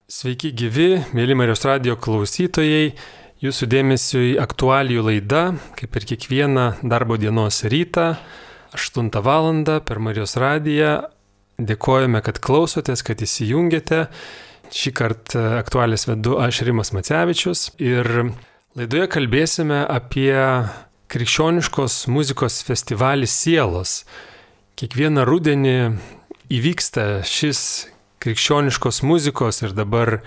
Sveiki gyvi, mėly Marijos radijo klausytojai, jūsų dėmesiui aktualijų laida, kaip ir kiekvieną darbo dienos rytą, 8 val. Per Marijos radiją. Dėkojame, kad klausotės, kad įsijungėte. Šį kartą aktualijas vedu aš, Rimas Macevičius, ir laidoje kalbėsime apie krikščioniškos muzikos festivalį Sielos. Kiekvieną rudenį įvyksta šis krikščioniškos muzikos ir dabar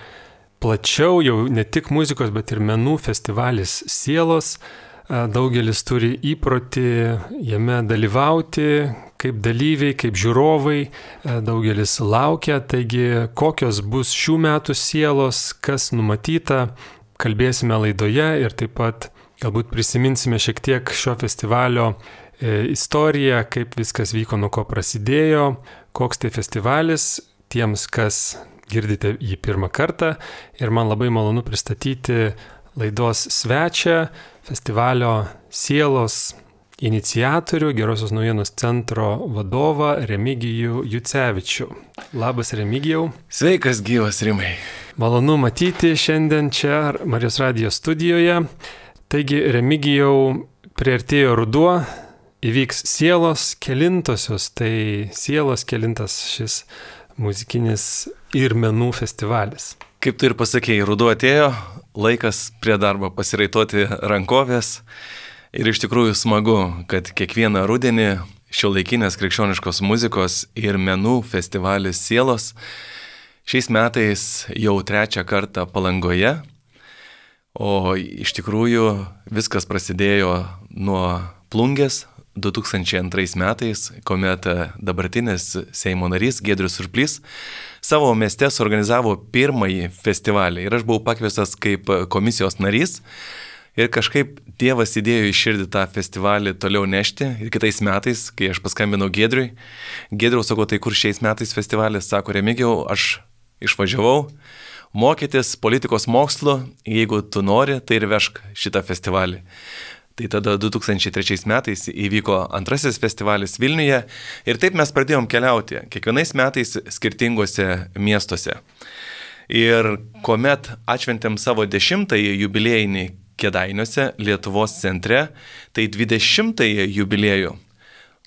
plačiau jau ne tik muzikos, bet ir menų festivalis Sielos. Daugelis turi įprotį jame dalyvauti kaip dalyviai, kaip žiūrovai. Daugelis laukia, taigi kokios bus šių metų Sielos, kas numatyta, kalbėsime laidoje ir taip pat galbūt prisiminsime šiek tiek šio festivalio istoriją, kaip viskas vyko, nuo ko prasidėjo, koks tai festivalis. Tiems, kas girdite jį pirmą kartą, ir man labai malonu pristatyti laidos svečią, festivalio Sielos iniciatorių, Gerosios naujienos centro vadovą Remigijų Jucevičių. Labas, Remigijau. Sveikas, gyvas, Rimai. Malonu matyti šiandien čia Marijos radijo studijoje. Taigi, Remigijau, priartėjo ruduo, įvyks Sielos kelintosios, tai Sielos kelintas šis muzikinis ir menų festivalis. Kaip tu ir pasakėjai, ruduo atėjo, laikas prie darbo pasiraitoti rankovės ir iš tikrųjų smagu, kad kiekvieną rudenį šiuolaikinės krikščioniškos muzikos ir menų festivalis Sielos šiais metais jau 3 kartą Palangoje, o iš tikrųjų viskas prasidėjo nuo Plungės 2002 metais, kuomet dabartinis Seimo narys Giedrius Surplys savo mieste suorganizavo pirmąjį festivalį ir aš buvau pakviestas kaip komisijos narys ir kažkaip Dievas įdėjo į širdį tą festivalį toliau nešti ir kitais metais, kai aš paskambinau Giedriui, Giedriau, sakau, tai kur šiais metais festivalis, sako, Remigijau, aš išvažiavau mokytis politikos mokslo, jeigu tu nori, tai ir vežk šitą festivalį. Tai tada 2003 metais įvyko antrasis festivalis Vilniuje ir taip mes pradėjom keliauti, kiekvienais metais skirtingose miestuose. Ir kuomet atšventėm savo 10-ąjį jubiliejinį Kėdainiuose, Lietuvos centre, tai 20-ąjį jubiliejų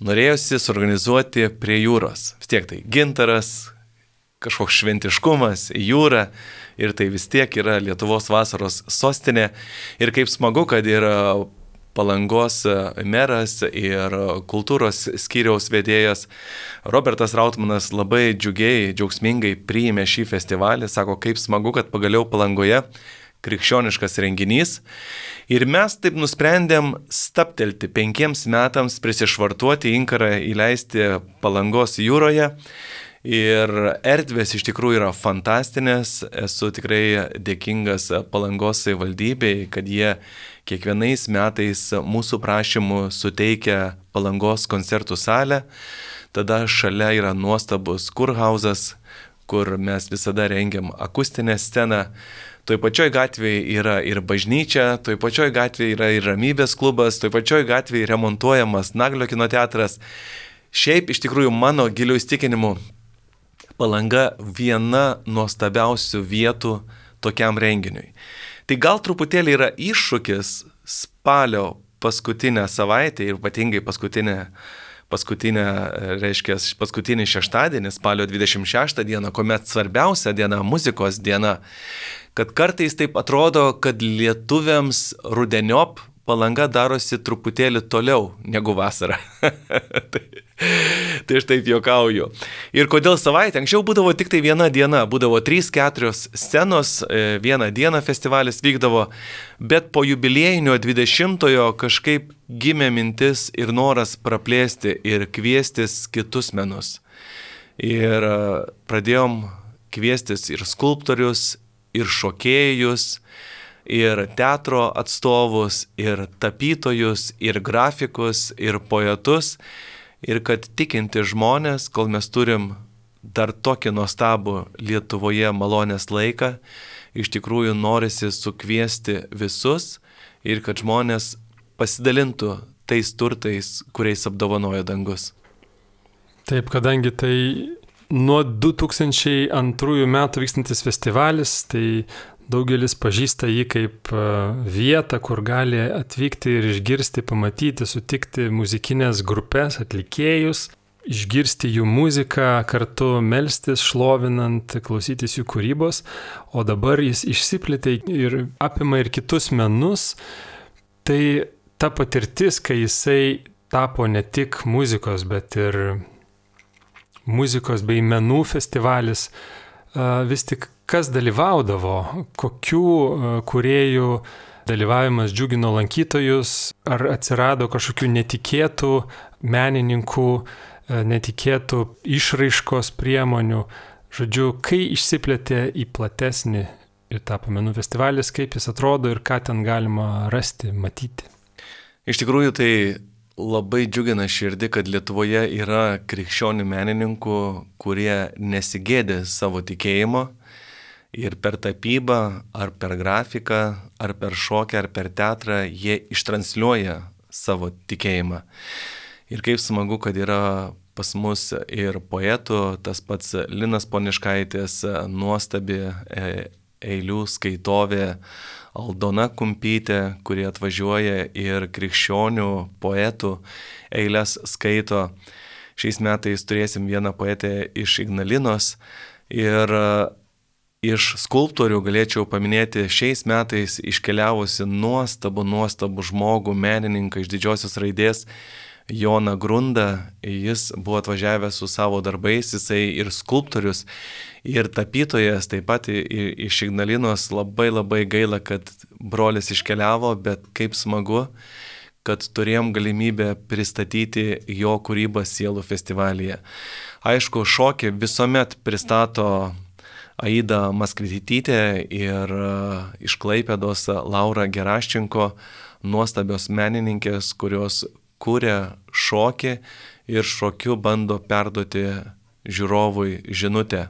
norėjosi suorganizuoti prie jūros. Vis tiek tai gintaras, kažkoks šventiškumas, jūra ir tai vis tiek yra Lietuvos vasaros sostinė. Ir kaip smagu, kad yra Palangos meras ir kultūros skyriaus vedėjas Robertas Rautmanas labai džiaugsmingai priėmė šį festivalį, sako, kaip smagu, kad pagaliau Palangoje krikščioniškas renginys. Ir mes taip nusprendėm stabtelti 5 metams, prisišvartuoti inkarą, įleisti Palangos jūroje. Ir erdvės iš tikrųjų yra fantastinės, esu tikrai dėkingas Palangos savivaldybei, kad jie kiekvienais metais mūsų prašymų suteikia Palangos koncertų salę, tada šalia yra nuostabus kurhauzas, kur mes visada rengiam akustinę sceną, toj pačioj gatvėje yra ir bažnyčia, toj pačioj gatvėje yra ir ramybės klubas, toj pačioj gatvėje remontuojamas Naglio kino teatras. Šiaip iš tikrųjų mano giliu įsitikinimu Palanga viena nuostabiausių vietų tokiam renginiui. Tai gal truputėlį yra iššūkis spalio paskutinę savaitę ir ypatingai paskutinį šeštadienį, spalio 26 dieną, kuomet svarbiausia diena, muzikos diena, kad kartais taip atrodo, kad lietuviams rudeniop Palanga darosi truputėlį toliau negu vasara. Tai aš taip juokauju. Ir kodėl savaitę? Anksčiau būdavo tik tai viena diena, būdavo 3-4 scenos, vieną dieną festivalis vykdavo, bet po jubiliejinio 20-ojo kažkaip gimė mintis ir noras praplėsti ir kviestis kitus menus. Ir pradėjom kviestis ir skulptorius, ir šokėjus, ir teatro atstovus, ir tapytojus, ir grafikus, ir poetus. Ir kad tikinti žmonės, kol mes turim dar tokį nuostabų Lietuvoje malonės laiką, iš tikrųjų norisi sukviesti visus ir kad žmonės pasidalintų tais turtais, kuriais apdovanojo dangus. Taip, kadangi tai nuo 2002 metų vykstantis festivalis, tai daugelis pažįsta jį kaip vietą, kur gali atvykti ir išgirsti, pamatyti, sutikti muzikinės grupės, atlikėjus, išgirsti jų muziką, kartu melstis, šlovinant, klausytis jų kūrybos, o dabar jis išsiplėtė ir apima ir kitus menus. Tai ta patirtis, kai jisai tapo ne tik muzikos, bet ir muzikos bei menų festivalis, vis tik kas dalyvaudavo, kokių kūrėjų dalyvavimas džiugino lankytojus, ar atsirado kažkokių netikėtų menininkų, netikėtų išraiškos priemonių. Žodžiu, kai išsiplėtė į platesnį ir tapo menų festivalis, kaip jis atrodo ir ką ten galima rasti, matyti. Iš tikrųjų, tai labai džiugina širdį, kad Lietuvoje yra krikščionių menininkų, kurie nesigėdė savo tikėjimo ir per tapybą, ar per grafiką, ar per šokį, ar per teatrą jie ištransliuoja savo tikėjimą. Ir kaip smagu, kad yra pas mus ir poetų, tas pats Linas Poniškaitis, nuostabi eilių skaitovė Aldona Kumpytė, kurie atvažiuoja ir krikščionių poetų eiles skaito. Šiais metais turėsim vieną poetę iš Ignalinos ir iš skulptorių galėčiau paminėti šiais metais iškeliavusi nuostabų žmogų, menininką iš didžiosios raidės, Joną Grundą. Jis buvo atvažiavęs su savo darbais, jisai ir skulptorius, ir tapytojas, taip pat iš Ignalinos. Labai gaila, kad brolis iškeliavo, bet kaip smagu, kad turėjom galimybę pristatyti jo kūrybą Sielų festivalyje. Aišku, šokį visuomet pristato Aida Maskvitytė ir iš Klaipėdos Laura Geraščenko, nuostabios menininkės, kurios kūrė šokį ir šokiu bando perduoti žiūrovui žinutę.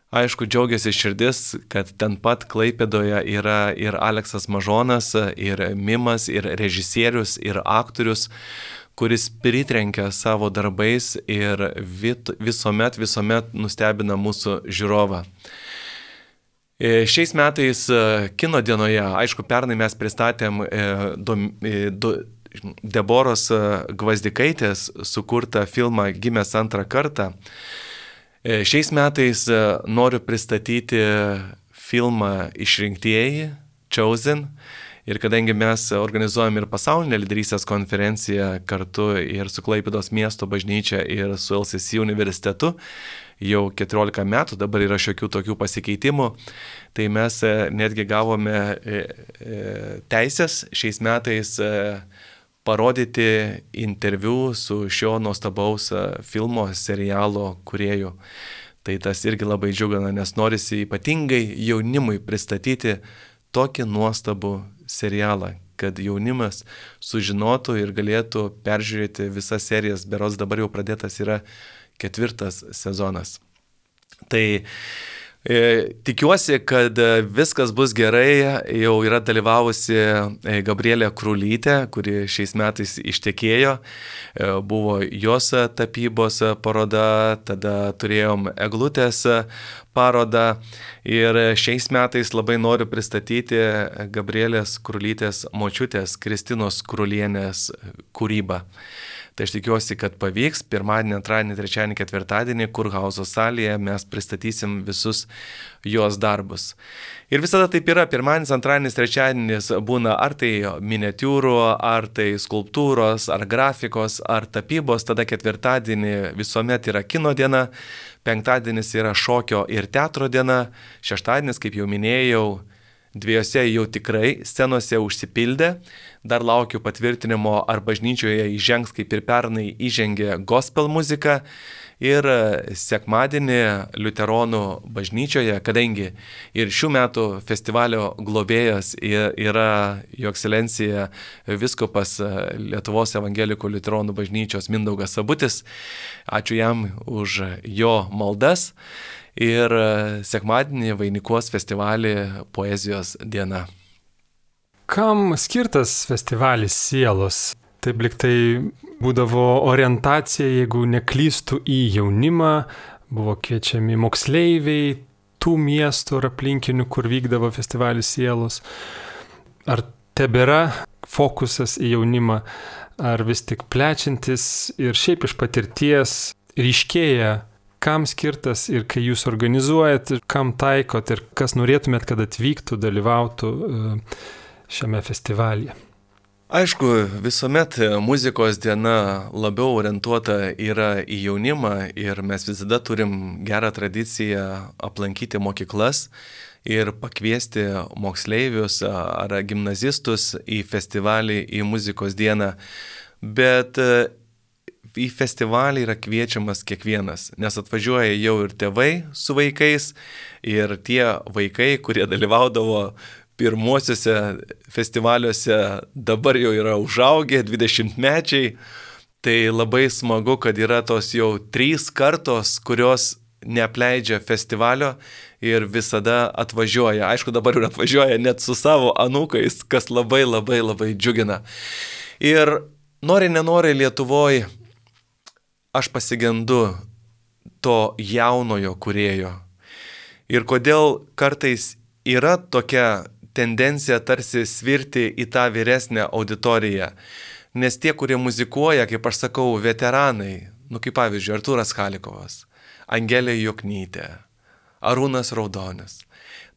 Aišku, džiaugiasi širdis, kad ten pat Klaipėdoje yra ir Aleksas Mažonas, ir mimas, ir režisierius, ir aktorius, kuris pritrenkia savo darbais ir visuomet nustebina mūsų žiūrovą. Šiais metais kino dienoje, aišku, pernai mes pristatėm Deboros Gvazdikaitės sukurtą filmą Gimęs antrą kartą. Šiais metais noriu pristatyti filmą Išrinktieji, Chosen. Ir kadangi mes organizuojam ir pasaulinę lyderystės konferenciją kartu ir su Klaipėdos miesto bažnyčia ir su LCC universitetu, jau 14 metų, dabar yra šiokių tokių pasikeitimų, tai mes netgi gavome teisės šiais metais parodyti interviu su šio nuostabaus filmo serialo kūrėju. Tai tas irgi labai džiugina, nes norisi ypatingai jaunimui pristatyti tokį nuostabų serialą, kad jaunimas sužinotų ir galėtų peržiūrėti visas serijas. Berods dabar jau pradėtas yra 4 sezonas. Tai tikiuosi, kad viskas bus gerai. Jau yra dalyvavusi Gabrielė Krulytė, kuri šiais metais ištekėjo. Buvo jos tapybos paroda, tada turėjom eglutės parodą. Ir šiais metais labai noriu pristatyti Gabrielės Krulytės močiutės Kristinos Krulienės kūrybą. Tai aš tikiuosi, kad pavyks. Pirmadienį, antradienį, trečiadienį, ketvirtadienį Kurhauso salėje mes pristatysim visus jos darbus. Ir visada taip yra. Pirmadienis, antradienis, trečiadienis būna ar tai miniatiūrų, ar tai skulptūros, ar grafikos, ar tapybos. Tada ketvirtadienį visuomet yra kino diena. Penktadienis yra šokio ir teatro diena. Šeštadienis, kaip jau minėjau, 2 jau tikrai scenose užsipildė. Dar laukiu patvirtinimo, ar bažnyčioje įžengs, kaip ir pernai įžengė gospel muzika. Ir sekmadienį Liuteronų bažnyčioje, kadangi ir šių metų festivalio globėjas yra Jo ekscelencija vyskupas Lietuvos evangelikų Liuteronų bažnyčios Mindaugas Sabutis. Ačiū jam už jo maldas. Ir sekmadienį vainikuos festivalį Poezijos diena. Kam skirtas festivalis Sielos? Taip lyg tai būdavo orientacija, jeigu neklystų, į jaunimą, buvo kviečiami moksleiviai tų miestų ir aplinkinių, kur vykdavo festivalis Sielos. Ar tebėra fokusas į jaunimą, ar vis tik plečiantis ir šiaip iš patirties ryškėja, kam skirtas ir kai jūs organizuojat, kam taikot ir kas norėtumėt, kad atvyktų, dalyvautų šiame festivalyje? Aišku, visuomet muzikos diena labiau orientuota yra į jaunimą ir mes visada turim gerą tradiciją aplankyti mokyklas ir pakviesti moksleivius ar gimnazistus į festivalį, į muzikos dieną. Bet į festivalį yra kviečiamas kiekvienas, nes atvažiuoja jau ir tėvai su vaikais ir tie vaikai, kurie dalyvaudavo pirmuosiuose festivaliuose, dabar jau yra užaugę 20-mečiai, tai labai smagu, kad yra tos jau 3 kartos, kurios neapleidžia festivalio ir visada atvažiuoja. Aišku, dabar ir atvažiuoja net su savo anūkais, kas labai labai labai džiugina. Ir nori nenori Lietuvoje aš pasigendu to jaunojo kūrėjo. Ir kodėl kartais yra tokia tendencija tarsi svirti į tą vyresnę auditoriją. Nes tie, kurie muzikuoja, kaip aš sakau, veteranai, kaip pavyzdžiui, Artūras Chalikovas, Angelė Joknytė, Arūnas Raudonis.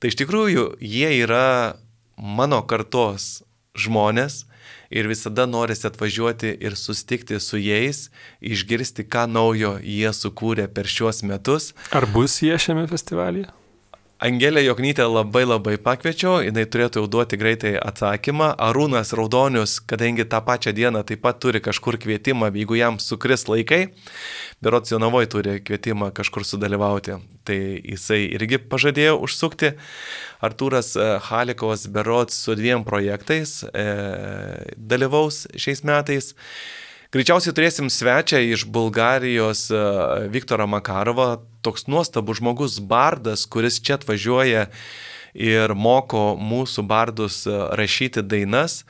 Tai iš tikrųjų jie yra mano kartos žmonės ir visada norisi atvažiuoti ir susitikti su jais, išgirsti, ką naujo jie sukūrė per šiuos metus. Ar bus jie šiame festivalyje? Angelė Joknytė labai labai pakviečiau, jinai turėtų jau duoti greitai atsakymą. Arūnas Raudonius, kadangi tą pačią dieną taip pat turi kažkur kvietimą, jeigu jam sukris laikai, berods Jonavoj turi kvietimą kažkur sudalyvauti, tai jisai irgi pažadėjo užsukti. Artūras Chalikovas berods su 2 projektais dalyvaus šiais metais. Greičiausiai turėsim svečią iš Bulgarijos Viktorą Makarovą, toks nuostabus žmogus bardas, kuris čia atvažiuoja ir moko mūsų bardus rašyti dainas.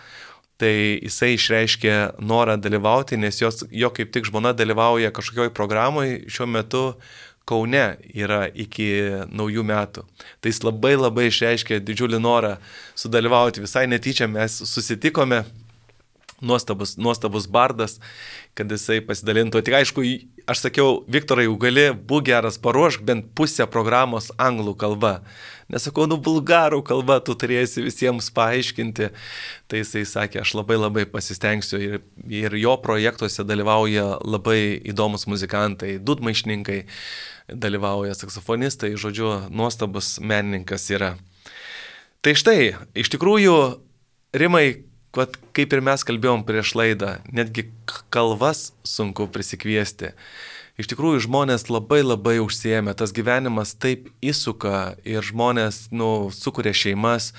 Tai jisai išreiškė norą dalyvauti, nes jo kaip tik žmona dalyvauja kažkokioj programai šiuo metu Kaune yra iki naujų metų. Tai jis labai labai išreiškė didžiulį norą sudalyvauti. Visai netyčia mes susitikome. Nuostabus bardas, kad jisai pasidalintų. Tik aišku, aš sakiau, Viktorai, jau gali, būk geras, paruošk bent pusę programos anglų kalba. Nesakau, bulgarų kalba tu turėsi visiems paaiškinti. Tai jisai sakė, aš labai labai pasistengsiu ir jo projektuose dalyvauja labai įdomus muzikantai, dūdmaišininkai, dalyvauja saksofonistai, žodžiu, nuostabus menininkas yra. Tai štai, iš tikrųjų, Rimai, kaip ir mes kalbėjom prieš laidą, netgi kalvas sunku prisikviesti. Iš tikrųjų, žmonės labai labai užsiėmė, tas gyvenimas taip įsuka ir žmonės, sukuria šeimas,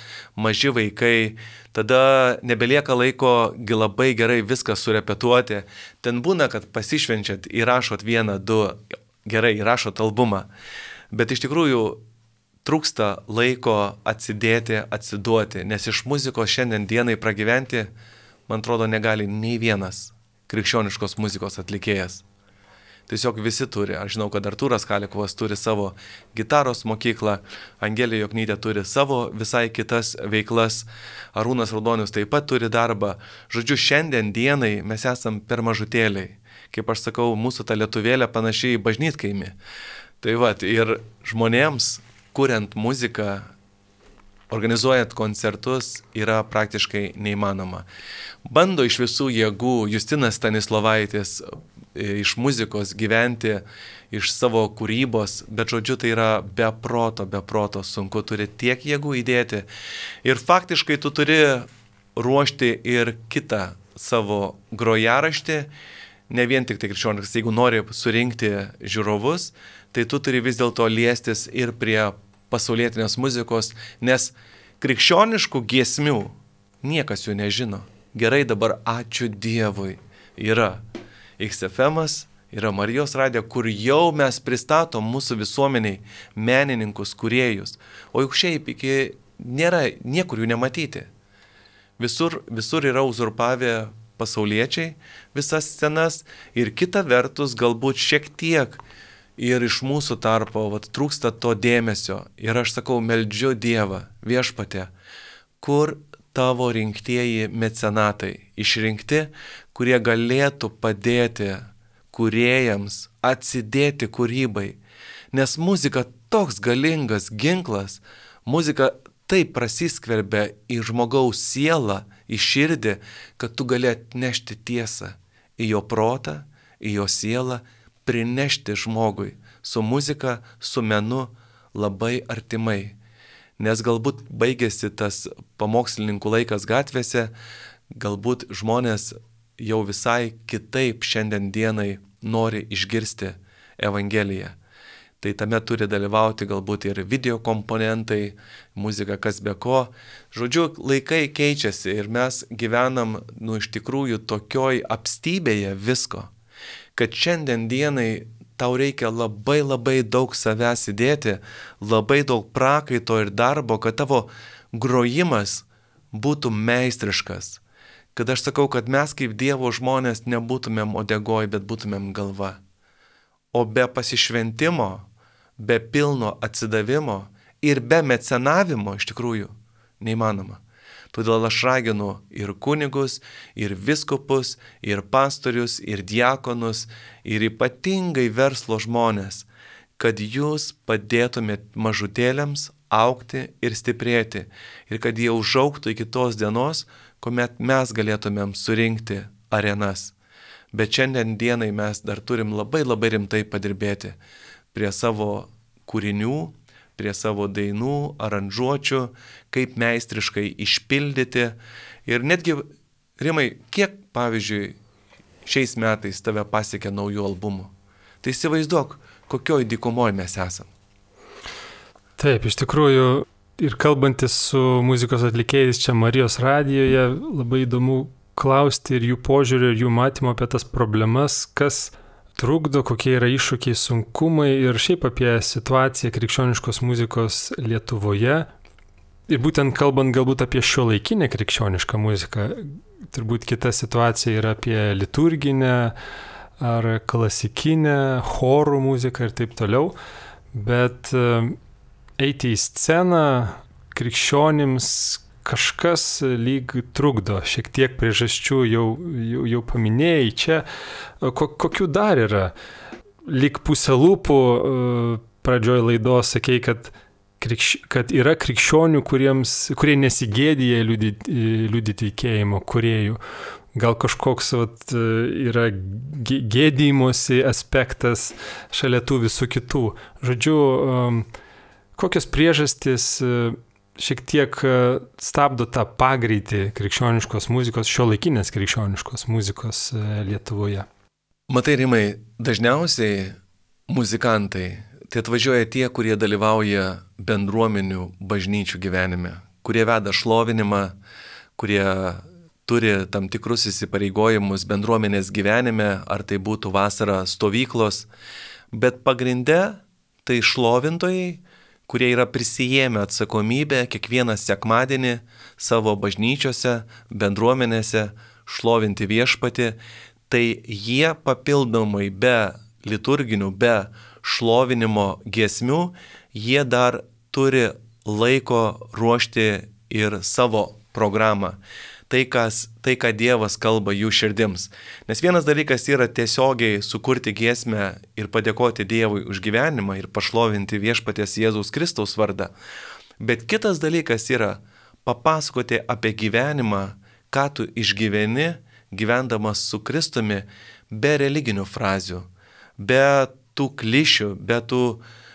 maži vaikai, tada nebelieka laiko labai gerai viską surepetuoti. Ten būna, kad pasišvenčiat, įrašot 1, 2, gerai, įrašot albumą, bet iš tikrųjų trūksta laiko atsidėti, atsiduoti, nes iš muzikos šiandien dienai pragyventi, man atrodo, negali nei vienas krikščioniškos muzikos atlikėjas. Tiesiog visi turi. Aš žinau, kad Artūras Chalikovas turi savo gitaros mokyklą, Angelė Joknytė turi savo visai kitas veiklas, Arūnas Raudonius taip pat turi darbą. Žodžiu, šiandien dienai mes esam per mažutėliai. Kaip aš sakau, mūsų ta lietuvėlė panašiai į bažnytkaimį. Tai ir žmonėms, kuriant muziką, organizuojant koncertus, yra praktiškai neįmanoma. Bando iš visų jėgų Justinas Stanislovaitis iš muzikos gyventi, iš savo kūrybos, bet žodžiu, tai yra be proto sunku, turi tiek jėgų įdėti. Ir faktiškai tu turi ruošti ir kitą savo grojaraštį, ne vien tik tai krikščioniškas. Jeigu nori surinkti žiūrovus, tai tu turi vis dėlto liestis ir prie pasaulietinės muzikos, nes krikščioniškų giesmių niekas jų nežino. Gerai, dabar ačiū Dievui yra XFM'as, yra Marijos radija, kur jau mes pristatom mūsų visuomeniai menininkus, kūrėjus. O juk šiaip nėra niekur jų nematyti. Visur yra uzurpavę pasauliečiai visas scenas ir kita vertus galbūt šiek tiek ir iš mūsų tarpo trūksta to dėmesio. Ir aš sakau, meldžiu Dievą, Viešpatie, kur tavo rinktieji mecenatai, išrinkti, kurie galėtų padėti kūrėjams atsidėti kūrybai. Nes muzika toks galingas ginklas, muzika taip prasiskverbia į žmogaus sielą, į širdį, kad tu gali atnešti tiesą į jo protą, į jo sielą, prinešti žmogui su muzika, su menu labai artimai. Nes galbūt baigėsi tas pamokslininkų laikas gatvėse, galbūt žmonės jau visai kitaip šiandien dienai nori išgirsti Evangeliją. Tai tame turi dalyvauti galbūt ir video komponentai, muzika kas be ko. Žodžiu, laikai keičiasi ir mes gyvenam, iš tikrųjų tokioj apstybėje visko, kad šiandien dienai tau reikia labai daug savęs įdėti, labai daug prakaito ir darbo, kad tavo grojimas būtų meistriškas. Kad aš sakau, kad mes kaip Dievo žmonės nebūtumėm uodegoj, bet būtumėm galva. O be pasišventimo, be pilno atsidavimo ir be mecenavimo iš tikrųjų neįmanoma. Todėl aš raginu ir kunigus, ir viskupus, ir pastorius, ir diakonus, ir ypatingai verslo žmonės, kad jūs padėtumėt mažutėliams augti ir stiprėti ir kad jie užaugtų iki tos dienos, kuomet mes galėtumėm surinkti arenas. Bet šiandien dienai mes dar turim labai rimtai padirbėti prie savo kūrinių, prie savo dainų, aranžuočių, kaip meistriškai išpildyti. Ir netgi, Rimai, kiek, pavyzdžiui, šiais metais tave pasiekė naujų albumų? Tai įsivaizduok, kokioj dykumoj mes esam. Taip, iš tikrųjų, ir kalbantis su muzikos atlikėjais čia Marijos radijoje, labai įdomu klausti ir jų požiūrį, ir jų matymo apie tas problemas, kas trukdo, kokie yra iššūkiai, sunkumai ir šiaip apie situaciją krikščioniškos muzikos Lietuvoje. Ir būtent kalbant galbūt apie šiuolaikinę krikščionišką muziką, turbūt kita situacija yra apie liturginę ar klasikinę, chorų muziką ir taip toliau. Bet eiti į sceną krikščionims kažkas lyg trukdo, šiek tiek priežasčių jau paminėjai čia. Kokių dar yra? Lyg pusę lūpų pradžioj laidos sakei, kad yra krikščionių, kurie nesigėdija liudyti tikėjimo kūrėjų. Gal kažkoks yra gėdymosi aspektas šalia tų visų kitų. Žodžiu, kokios priežastys šiek tiek stabdo tą pagreitį krikščioniškos muzikos, šiuolaikinės krikščioniškos muzikos Lietuvoje? Matai, Rimai, dažniausiai muzikantai tai atvažiuoja tie, kurie dalyvauja bendruomenių bažnyčių gyvenime, kurie veda šlovinimą, kurie turi tam tikrus įsipareigojimus bendruomenės gyvenime, ar tai būtų vasara stovyklos, bet pagrinde tai šlovintojai, kurie yra prisijėmę atsakomybę kiekvieną sekmadienį savo bažnyčiose, bendruomenėse šlovinti Viešpatį, tai jie papildomai be liturginių, be šlovinimo giesmių, jie dar turi laiko ruošti ir savo programą. Tai, ką Dievas kalba jų širdims. Nes vienas dalykas yra tiesiogiai sukurti giesmę ir padėkoti Dievui už gyvenimą ir pašlovinti Viešpaties Jėzaus Kristaus vardą. Bet kitas dalykas yra papasakoti apie gyvenimą, ką tu išgyveni, gyvendamas su Kristumi, be religinių frazių, be tų klišių, be tų,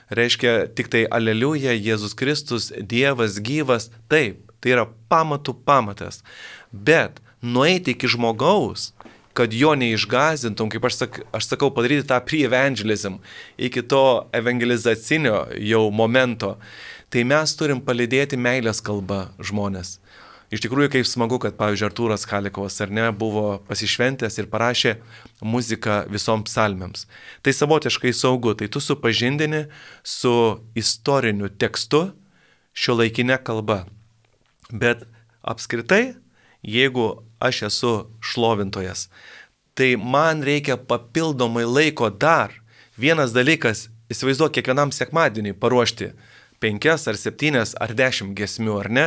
reiškia, tik tai aleliuja, Jėzus Kristus, Dievas gyvas, taip. Tai yra pamatų pamatas. Bet nueiti iki žmogaus, kad jo neišgąsdintum, kaip aš sakau, padaryti tą pre-evangelism, iki to evangelizacinio jau momento, tai mes turim palydėti meilės kalbą žmonės. Iš tikrųjų, kaip smagu, kad, pavyzdžiui, Artūras Chalikovas, ar ne, buvo pasišventęs ir parašė muziką visoms psalmėms. Tai savotiškai saugu, tai tu supažindini su istoriniu tekstu šiuolaikinė kalba. Bet apskritai, jeigu aš esu šlovintojas, tai man reikia papildomai laiko dar Vienas dalykas, įsivaizduok kiekvienam sekmadienį paruošti 5 ar 7 ar 10 giesmių, ar ne?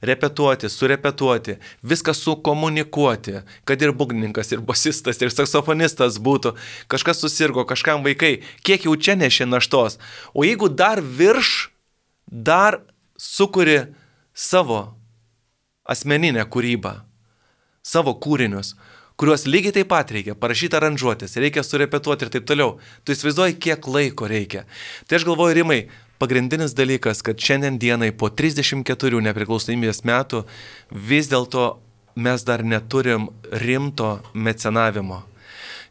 Repetuoti, surepetuoti, viską sukomunikuoti, kad ir būgnininkas, ir bosistas, ir saksofonistas būtų, kažkas susirgo, kažkam vaikai, kiek jau čia nešė naštos. O jeigu dar dar sukuri savo asmeninę kūrybą, savo kūrinius, kuriuos lygiai taip pat reikia parašyti aranžuotis, reikia surepetuoti ir taip toliau. Tu įsivaizduoji, kiek laiko reikia. Tai aš galvoju, Rimai, pagrindinis dalykas, kad šiandien dienai po 34 nepriklausomybės metų vis dėlto mes dar neturim rimto mecenavimo.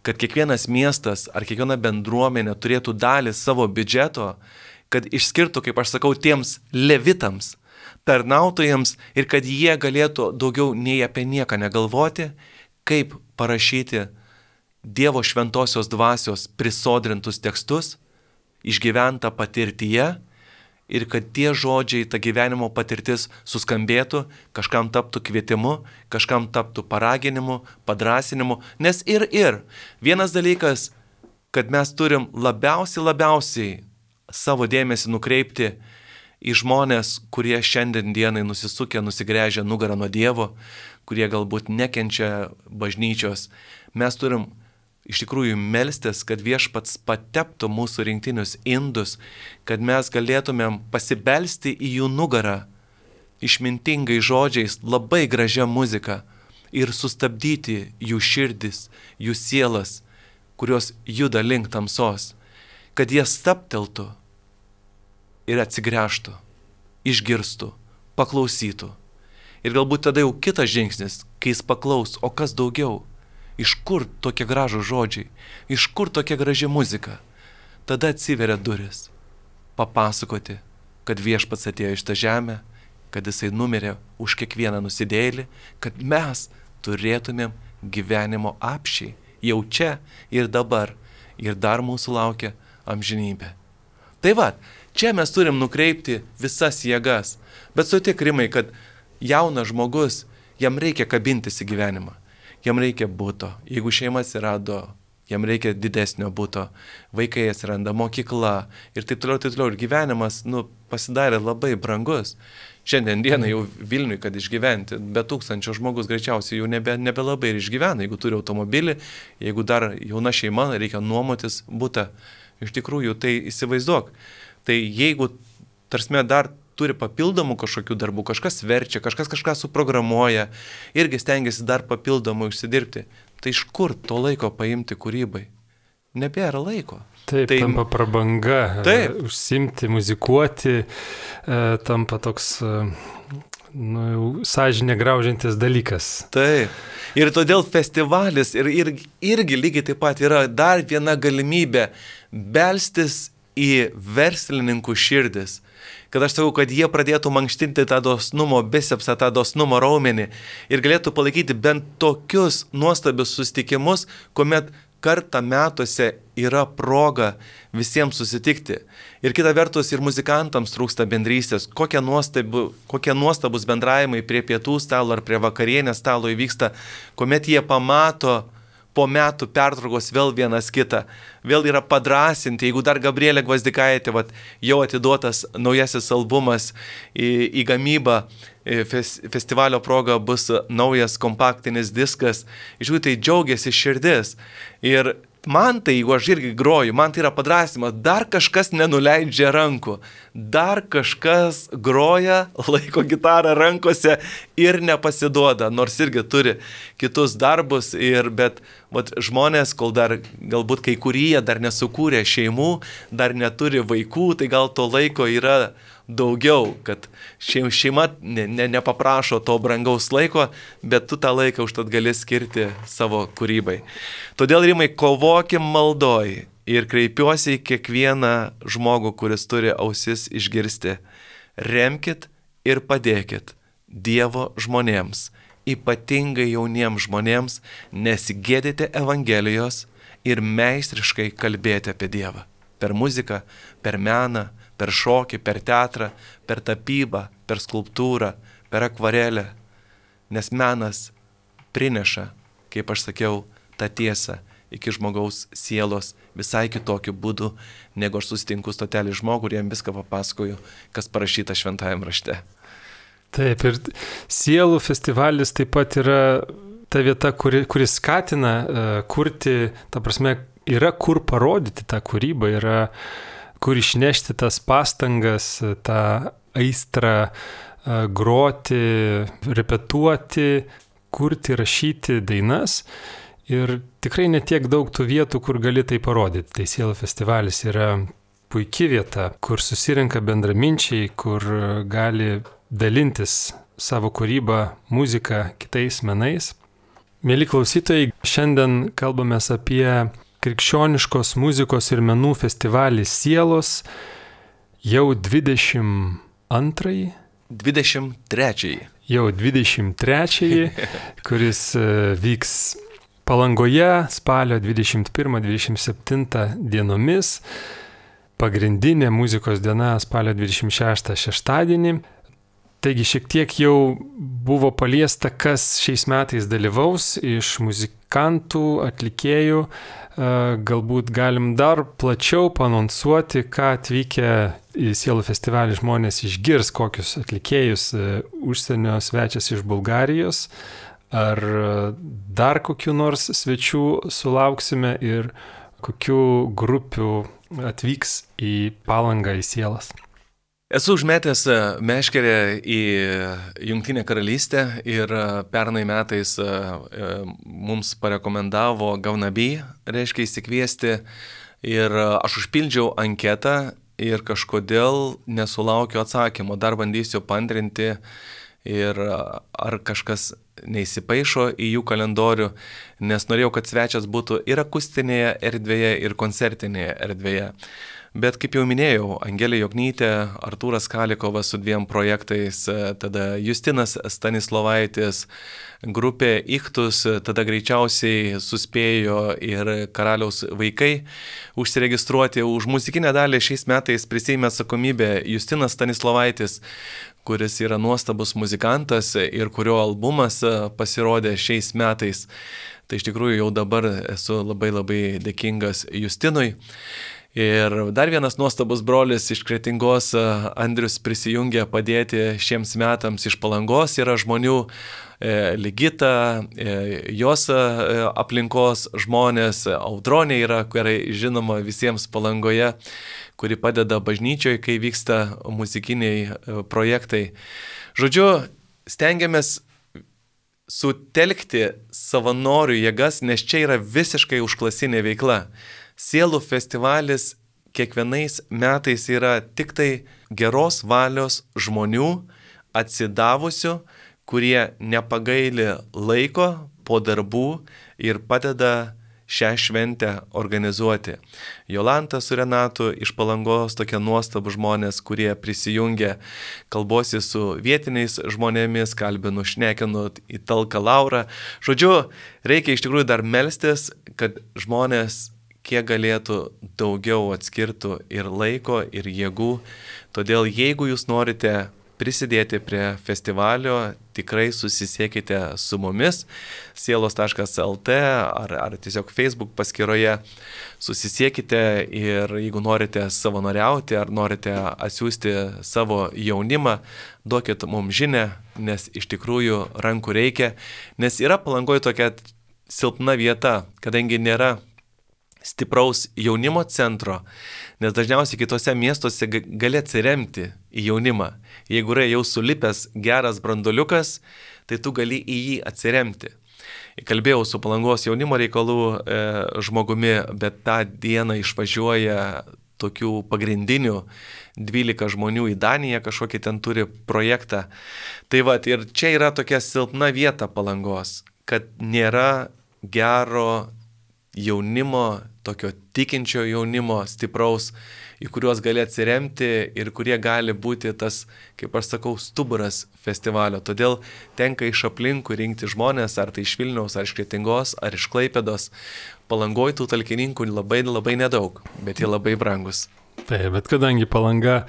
Kad kiekvienas miestas ar kiekviena bendruomenė turėtų dalį savo biudžeto, kad išskirtų, kaip aš sakau, tiems levitams, tarnautojams ir kad jie galėtų daugiau nei apie nieką negalvoti, kaip parašyti Dievo šventosios dvasios prisodrintus tekstus, išgyventa patirtyje ir kad tie žodžiai, ta gyvenimo patirtis suskambėtų, kažkam taptų kvietimu, kažkam taptų paraginimu, padrasinimu, nes ir. Vienas dalykas, kad mes turim labiausiai savo dėmesį nukreipti į žmonės, kurie šiandien dienai nusisukę, nusigręžę nugarą nuo Dievo, kurie galbūt nekenčia bažnyčios. Mes turim iš tikrųjų melstis, kad Viešpats pateptų mūsų rinktinius indus, kad mes galėtumėm pasibelsti į jų nugarą išmintingai žodžiais, labai gražia muzika ir sustabdyti jų širdis, jų sielas, kurios juda link tamsos, kad jie stabteltų ir atsigręžtų, išgirstų, paklausytų. Ir galbūt tada jau kitas žingsnis, kai jis paklaus, o kas daugiau? Iš kur tokie gražūs žodžiai? Iš kur tokia graži muzika? Tada atsiveria duris. Papasakoti, kad Viešpats atėjo iš tą žemę, kad jisai numirė už kiekvieną nusidėjėlį, kad mes turėtumėm gyvenimo apsčiai. Jau čia ir dabar. Ir dar mūsų laukia amžinybė. Tai va, čia mes turim nukreipti visas jėgas. Bet sutik, Rimai, kad jaunas žmogus, jam reikia kabintis į gyvenimą. Jam reikia buto. Jeigu šeima atsirado, jam reikia didesnio buto. Vaikai atsiranda, mokykla ir taip toliau. Ir gyvenimas, pasidarė labai brangus. Šiandien dieną jau Vilniui, kad išgyventi, be 1000 žmogus greičiausiai jau nebelabai ir išgyvena. Jeigu turi automobilį, jeigu dar jauna šeima, reikia nuomotis butą. Iš tikrųjų, tai įsivaizduok. Tai jeigu, tarsime, dar turi papildomų kažkokių darbų, kažkas verčia, kažkas kažką suprogramuoja, irgi stengiasi dar papildomų užsidirbti, tai iš kur to laiko paimti kūrybai? Nebėra laiko. Taip, tampa prabanga, užsimti, muzikuoti, tampa toks sąžinę graužiantis dalykas. Taip. Ir todėl festivalis irgi lygiai taip pat yra dar viena galimybė belstis į verslininkų širdis. Kad aš sakau, kad jie pradėtų mankštinti tą dosnumo bicepsą, tą dosnumo raumenį ir galėtų palaikyti bent tokius nuostabius susitikimus, kuomet kartą metuose yra proga visiems susitikti. Ir kita vertus, ir muzikantams trūksta bendrystės. Kokie nuostabus bendravimai prie pietų stalo ar prie vakarienės stalo įvyksta, kuomet jie pamato po metų pertraukos vėl vienas kitą. Vėl yra padrasinti, jeigu dar Gabrielė Gvazdikaitė, jau atiduotas naujasis albumas į gamybą, festivalio proga bus naujas kompaktinis diskas, iš jų tai džiaugiasi širdis. Ir man tai, jeigu aš irgi groju, man tai yra padrasimas, dar kažkas nenuleidžia rankų, dar kažkas groja, laiko gitarą rankose ir nepasiduoda, nors irgi turi kitus darbus, bet žmonės, kol dar galbūt kai kurie dar nesukūrė šeimų, dar neturi vaikų, tai gal to laiko yra daugiau, kad šeima nepaprašo to brangaus laiko, bet tu tą laiką užtat gali skirti savo kūrybai. Todėl, Rimai, kovokim maldoj ir kreipiuosi į kiekvieną žmogų, kuris turi ausis išgirsti. Remkit ir padėkit Dievo žmonėms, ypatingai jauniems žmonėms, nesigėdyti Evangelijos ir meistriškai kalbėti apie Dievą. Per muziką, per meną, per šokį, per teatrą, per tapybą, per skulptūrą, per akvarelę. Nes menas prineša, kaip aš sakiau, tą tiesą. iki žmogaus sielos visai kitokiu būdu, negu aš susitinku stotelį žmogų ir jam viską papasakoju, kas parašyta šventajame rašte. Taip, ir sielų festivalis taip pat yra ta vieta, kuri skatina kurti, ta prasme, yra kur parodyti tą kūrybą, yra kur išnešti tas pastangas, tą aistrą groti, repetuoti, kurti, rašyti dainas. Ir tikrai netiek daug tų vietų, kur gali tai parodyti. Tai sielų festivalis yra puikia vieta, kur susirenka bendraminčiai, kur gali dalintis savo kūrybą, muziką, kitais menais. Mėly klausytojai, šiandien kalbamės apie krikščioniškos muzikos ir menų festivalį Sielos, jau 22-ąjį. 23. Jau 23-ąjį, kuris vyks Palangoje spalio 21-27 dienomis. Pagrindinė muzikos diena spalio 26 šeštadienį. Taigi šiek tiek jau buvo paliesta, kas šiais metais dalyvaus iš muzikantų, atlikėjų. Galbūt galim dar plačiau paanonsuoti, ką atvykę į Sielų festivalį žmonės išgirs, kokius atlikėjus, užsienio svečias iš Bulgarijos, ar dar kokių nors svečių sulauksime ir kokių grupių atvyks į Palangą, į Sielas. Esu užmetęs meškerę į Jungtinę karalystę ir pernai metais mums parekomendavo Gaunaby, reiškia įsikviesti, ir aš užpildžiau anketą ir kažkodėl nesulaukiu atsakymo, dar bandysiu paantrinti ir ar kažkas neįsipaišo į jų kalendorių, nes norėjau, kad svečias būtų ir akustinėje erdvėje, ir koncertinėje erdvėje. Bet kaip jau minėjau, Angelė Joknytė, Artūras Kalikovas su 2 projektais, tada Justinas Stanislovaitis, grupė Ichtus, tada greičiausiai suspėjo ir Karaliaus vaikai užsiregistruoti. Už muzikinę dalį šiais metais prisiėmė atsakomybę Justinas Stanislovaitis, kuris yra nuostabus muzikantas ir kurio albumas pasirodė šiais metais. Tai iš tikrųjų jau dabar esu labai dėkingas Justinui. Ir dar vienas nuostabus brolis iš Kretingos, Andrius, prisijungė padėti šiems metams iš Palangos. Yra žmonių, Ligita, jos aplinkos žmonės, Audronė yra, gerai žinoma visiems Palangoje, kuri padeda bažnyčioje, kai vyksta muzikiniai projektai. Žodžiu, stengiamės sutelkti savanorių jėgas, nes čia yra visiškai užklasinė veikla. Sielų festivalis kiekvienais metais yra tik tai geros valios žmonių, atsidavusių, kurie nepagaili laiko po darbų ir padeda šią šventę organizuoti. Jolanta su Renatu iš Palangos, tokie nuostabų žmonės, kurie prisijungia, kalbosi su vietiniais žmonėmis, kalbinu, šnekinu į talką Laurą. Žodžiu, reikia iš tikrųjų dar melstis, kad žmonės kiek galėtų daugiau atskirtų ir laiko, ir jėgų. Todėl jeigu jūs norite prisidėti prie festivalio, tikrai susisiekite su mumis sielos.lt ar tiesiog Facebook paskyroje. Susisiekite ir jeigu norite savanoriauti ar norite atsiųsti savo jaunimą, duokit mums žinę, nes iš tikrųjų rankų reikia. Nes yra Palangoje tokia silpna vieta, kadangi nėra stipraus jaunimo centro, nes dažniausiai kitose miestuose gali atsiremti į jaunimą. Jeigu yra jau sulipęs geras branduoliukas, tai tu gali į jį atsiremti. Kalbėjau su Palangos jaunimo reikalų žmogumi, bet tą dieną išvažiuoja tokių pagrindinių 12 žmonių į Daniją, kažkokį ten turi projektą. Tai va, ir čia yra tokia silpna vieta Palangos, kad nėra gero jaunimo, tokio tikinčio jaunimo, stipraus, į kuriuos gali atsiremti ir kurie gali būti tas, kaip aš sakau, stuburas festivalio. Todėl tenka iš aplinkų rinkti žmonės, ar tai iš Vilniaus, ar iš Kretingos, ar iš Klaipėdos. Palangoj tų talkininkų labai nedaug, bet jie labai brangus. Taip, bet kadangi Palanga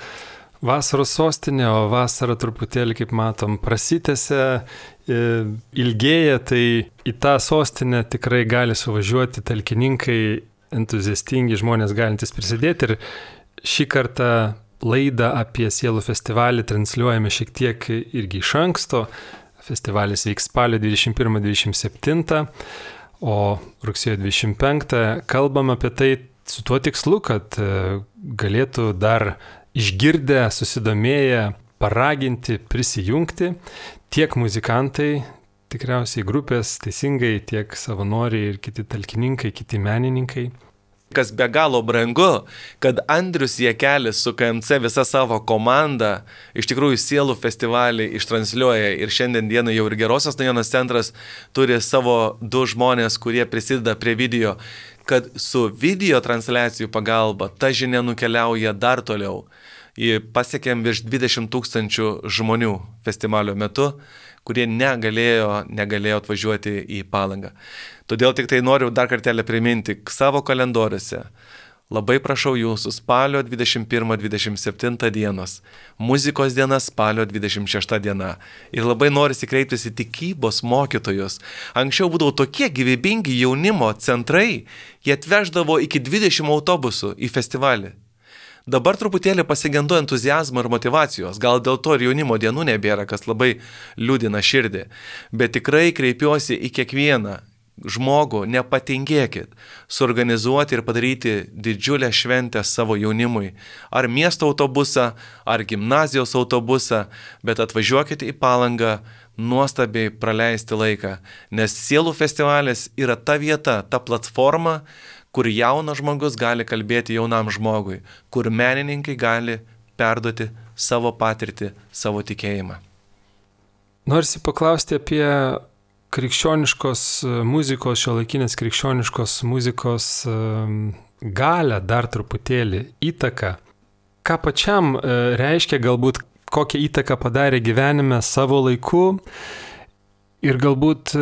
vasaros sostinė, o vasara truputėlį, kaip matom, prasitęsia, ilgėja, tai į tą sostinę tikrai gali suvažiuoti talkininkai, entuziastingi žmonės galintys prisidėti. Ir šį kartą laidą apie Sielų festivalį transliuojame šiek tiek irgi iš anksto. Festivalis vyks spalio 21-27, o rugsėjo 25 kalbam apie tai su tuo tikslu, kad galėtų dar išgirdę, susidomėję, paraginti, prisijungti tiek muzikantai, tikriausiai grupės teisingai, tiek savanoriai ir kiti talkininkai, kiti menininkai. Kas be galo brangu, kad Andrius Jakelis su KMC visa savo komanda iš tikrųjų Sielų festivalį ištransliuoja ir šiandien dieną jau ir Gerosios naujienos centras turi savo 2 žmonės, kurie prisideda prie video, kad su video transliacijų pagalba ta žinia nukeliauja dar toliau. Pasiekėm virš 20 000 žmonių festivalio metu, kurie negalėjo atvažiuoti į Palangą. Todėl tik tai noriu dar kartelį priminti savo kalendoriuose. Labai prašau jūsų spalio 21-27 dienos, muzikos diena spalio 26 diena. Ir labai norisi kreiptis į tikybos mokytojus. Anksčiau būdavo tokie gyvybingi jaunimo centrai, jie atveždavo iki 20 autobusų į festivalį. Dabar truputėlį pasigendu entuziazmo ir motivacijos, gal dėl to ir jaunimo dienų nebėra, kas labai liūdina širdį. Bet tikrai kreipiuosi į kiekvieną žmogų, nepatingėkit, suorganizuoti ir padaryti didžiulę šventę savo jaunimui. Ar miesto autobusą, ar gimnazijos autobusą, bet atvažiuokite į Palangą nuostabiai praleisti laiką. Nes Sielų festivalis yra ta vieta, ta platforma, kur jaunas žmogus gali kalbėti jaunam žmogui, kur menininkai gali perduoti savo patirtį, savo tikėjimą. Norisi paklausti apie krikščioniškos muzikos, šiuolaikinės krikščioniškos muzikos galią, dar truputėlį įtaką. Ką pačiam reiškia, galbūt kokią įtaką padarė gyvenime savo laiku ir galbūt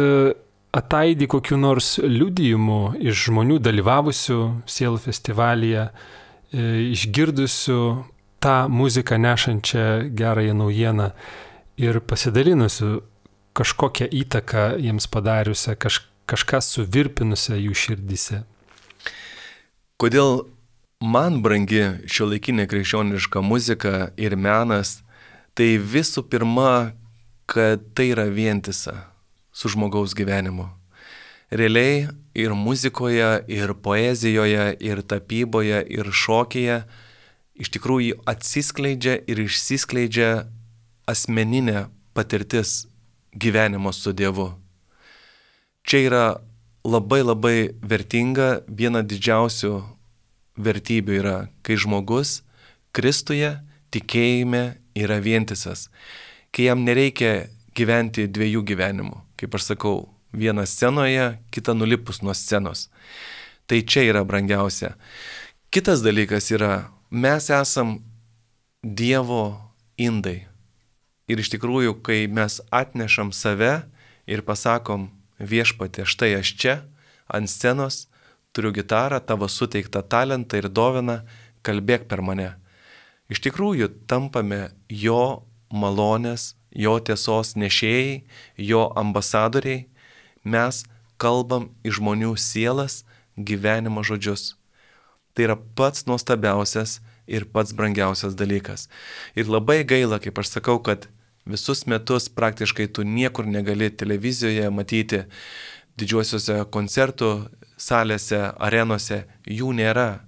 ataidi kokiu nors liudijimu iš žmonių dalyvavusių Sielų festivalyje, išgirdusių tą muziką nešančią gerąją naujieną ir pasidalinusių kažkokią įtaką jiems padariusią, kažką suvirpinusią jų širdyse. Kodėl man brangi šiuolaikinė krikščioniška muzika ir menas, tai visų pirma, kad tai yra vientisa su žmogaus gyvenimu. Realiai ir muzikoje, ir poezijoje, ir tapyboje, ir šokyje iš tikrųjų atsiskleidžia ir išsiskleidžia asmeninė patirtis gyvenimo su Dievu. Čia yra labai labai vertinga, viena didžiausių vertybių yra, kai žmogus Kristuje tikėjime yra vientisas, kai jam nereikia gyventi 2 gyvenimų. Kaip aš sakau, vieną scenoje, kitą nulipus nuo scenos. Tai čia yra brangiausia. Kitas dalykas yra, mes esam Dievo indai. Ir iš tikrųjų, kai mes atnešam save ir pasakom, Viešpatie, štai aš čia, ant scenos, turiu gitarą, tavo suteiktą talentą ir dovaną, kalbėk per mane. Iš tikrųjų, tampame jo malonės, jo tiesos nešėjai, jo ambasadoriai, mes kalbam į žmonių sielas gyvenimo žodžius. Tai yra pats nuostabiausias ir pats brangiausias dalykas. Ir labai gaila, kaip aš sakau, kad visus metus praktiškai tu niekur negali televizijoje matyti didžiuosiuose koncertų salėse, arenose, jų nėra.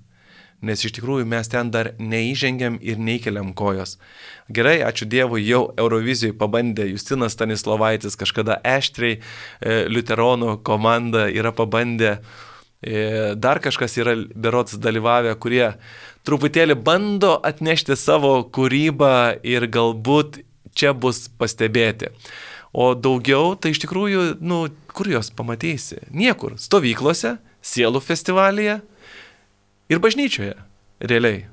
Nes iš tikrųjų mes ten dar neįžengiam ir neįkeliam kojos. Gerai, ačiū Dievui, jau Eurovizijoje pabandė Justinas Stanislovaitis, kažkada Eštriai, liuteronų komanda yra pabandę, dar kažkas yra berods dalyvavę, kurie truputėlį bando atnešti savo kūrybą ir galbūt čia bus pastebėti. O daugiau, tai iš tikrųjų, kur jos pamatysi? Niekur. Stovyklose, Sielų festivalyje ir bažnyčioje, realiai.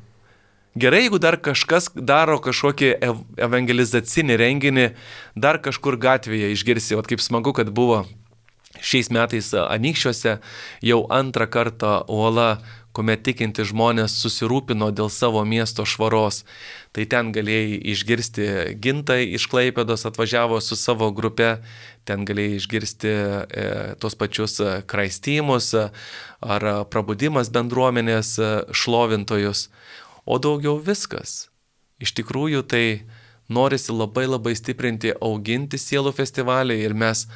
Gerai, jeigu dar kažkas daro kažkokį evangelizacinį renginį, dar kažkur gatvėje išgirsi, kaip smagu, kad buvo šiais metais Anykščiuose jau 2 kartą Uola kuomet tikinti žmonės susirūpino dėl savo miesto švaros. Tai ten galėjai išgirsti Gintai iš Klaipėdos atvažiavo su savo grupe, ten galėjai išgirsti tos pačius Kraistymus ar Prabudimas bendruomenės šlovintojus, o daugiau viskas. Iš tikrųjų tai norisi labai stiprinti, auginti sielų festivalį ir mes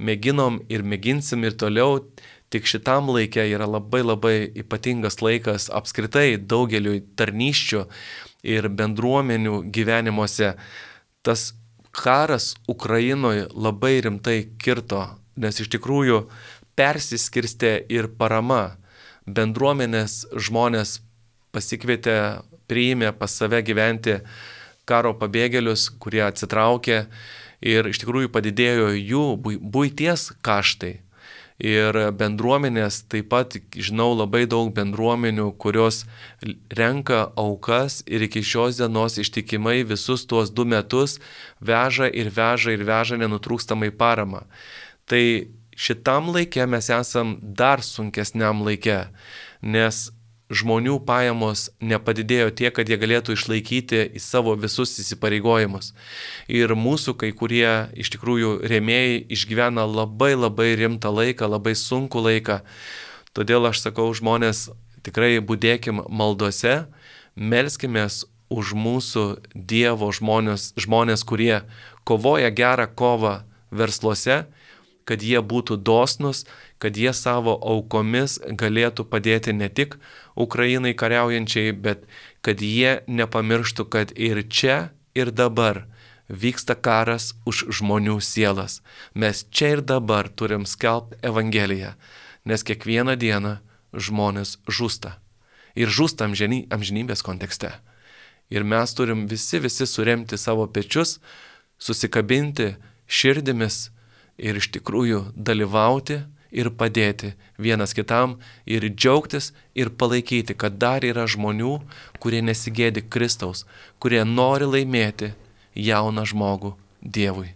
mėginom ir mėginsim ir toliau, tik šitam laikė yra labai ypatingas laikas apskritai daugeliui tarnysčių ir bendruomenių gyvenimuose. Tas karas Ukrainoje labai rimtai kirto, nes iš tikrųjų persiskirstė ir parama. Bendruomenės žmonės pasikvietė, priėmė pas save gyventi karo pabėgėlius, kurie atsitraukė ir iš tikrųjų padidėjo jų buities kaštai. Ir bendruomenės, taip pat žinau labai daug bendruomenių, kurios renka aukas ir iki šios dienos ištikimai visus tuos 2 metus veža nenutrūkstamai paramą. Tai šitam laikė mes esam dar sunkesniam laikė, nes žmonių pajamos nepadidėjo tiek, kad jie galėtų išlaikyti į savo visus įsipareigojimus. Ir mūsų kai kurie iš tikrųjų rėmėjai išgyvena labai rimtą laiką, labai sunkų laiką. Todėl aš sakau, žmonės, tikrai budėkim maldose, melskimės už mūsų Dievo žmonės, kurie kovoja gerą kovą versluose, kad jie būtų dosnus, kad jie savo aukomis galėtų padėti ne tik Ukrainai kariaujančiai, bet kad jie nepamirštų, kad ir čia, ir dabar vyksta karas už žmonių sielas. Mes čia ir dabar turim skelbti Evangeliją, nes kiekvieną dieną žmonės žūsta. Ir žūsta amžinybės kontekste. Ir mes turim visi suremti savo pečius, susikabinti širdimis, ir iš tikrųjų dalyvauti ir padėti vienas kitam ir džiaugtis ir palaikyti, kad dar yra žmonių, kurie nesigėdi Kristaus, kurie nori laimėti jauną žmogų Dievui.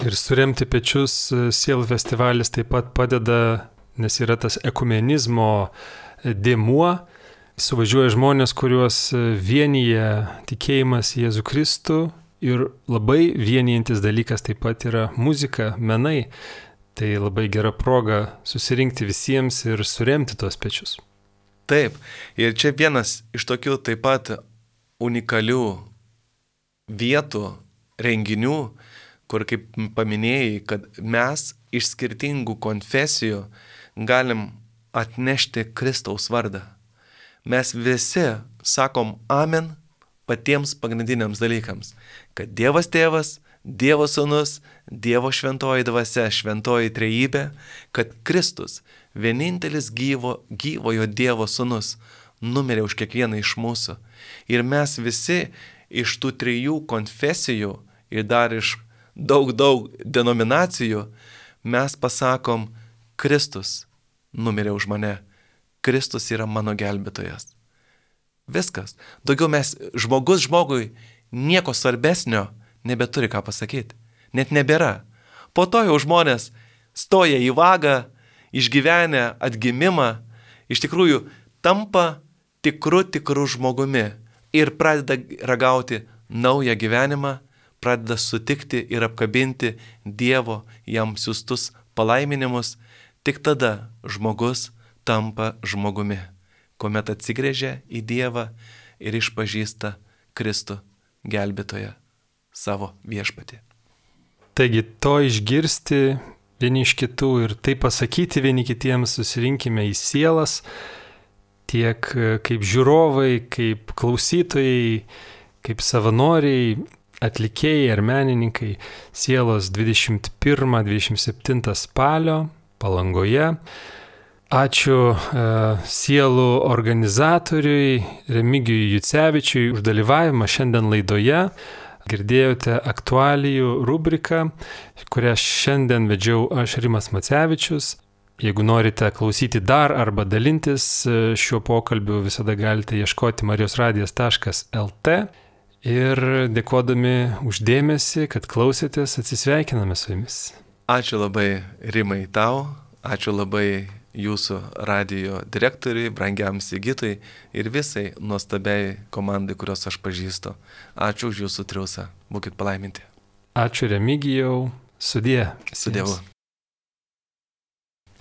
Ir suremti pečius sielų festivalis taip pat padeda, nes yra tas ekumenizmo dėmuo, suvažiuoja žmonės, kuriuos vienyje tikėjimas į Jėzų Kristų. Ir labai vienijantis dalykas taip pat yra muzika, menai. Tai labai gera proga susirinkti visiems ir suremti tuos pečius. Taip, ir čia vienas iš tokių taip pat unikalių vietų, renginių, kur kaip paminėjai, kad mes iš skirtingų konfesijų galim atnešti Kristaus vardą. Mes visi sakom amen patiems pagrindiniams dalykams, kad Dievas Tėvas, Dievo Sūnus, Dievo šventoji dvasia, šventoji trejybė, kad Kristus, vienintelis gyvojo Dievo Sūnus, numirė už kiekvieną iš mūsų. Ir mes visi iš tų 3 konfesijų ir dar iš daug denominacijų, mes pasakom, Kristus numirė už mane, Kristus yra mano gelbėtojas. Viskas. Daugiau žmogus žmogui nieko svarbesnio nebeturi ką pasakyti. Net nebėra. Po to jau žmonės stoja į vagą, išgyvenę atgimimą, iš tikrųjų tampa tikru žmogumi ir pradeda ragauti naują gyvenimą, pradeda sutikti ir apkabinti Dievo jam siųstus palaiminimus. Tik tada žmogus tampa žmogumi, kuomet atsigręžia į Dievą ir išpažįsta Kristų gelbėtoją savo viešpatį. Taigi to išgirsti vieni iš kitų ir tai pasakyti vieni kitiems, susirinkime į sielas, tiek kaip žiūrovai, kaip klausytojai, kaip savanoriai, atlikėjai ar menininkai, sielos 21-27 spalio Palangoje. Ačiū sielų organizatoriui Remigijui Jucevičiui už dalyvavimą šiandien laidoje. Girdėjote aktualijų rubriką, kurią šiandien vedžiau aš, Rimas Macevičius. Jeigu norite klausyti dar arba dalintis šiuo pokalbiu, visada galite ieškoti marijosradijas.lt. Ir dėkodami už dėmesį, kad klausėtės, atsisveikiname su jumis. Ačiū labai, Rimai, tau. Ačiū labai jūsų radijo direktoriui, brangiam Sigitui ir visai nuostabiai komandai, kurios aš pažįstu. Ačiū už jūsų triūsą. Būkit palaiminti. Ačiū Remigijau. Sudie. Su Dievu.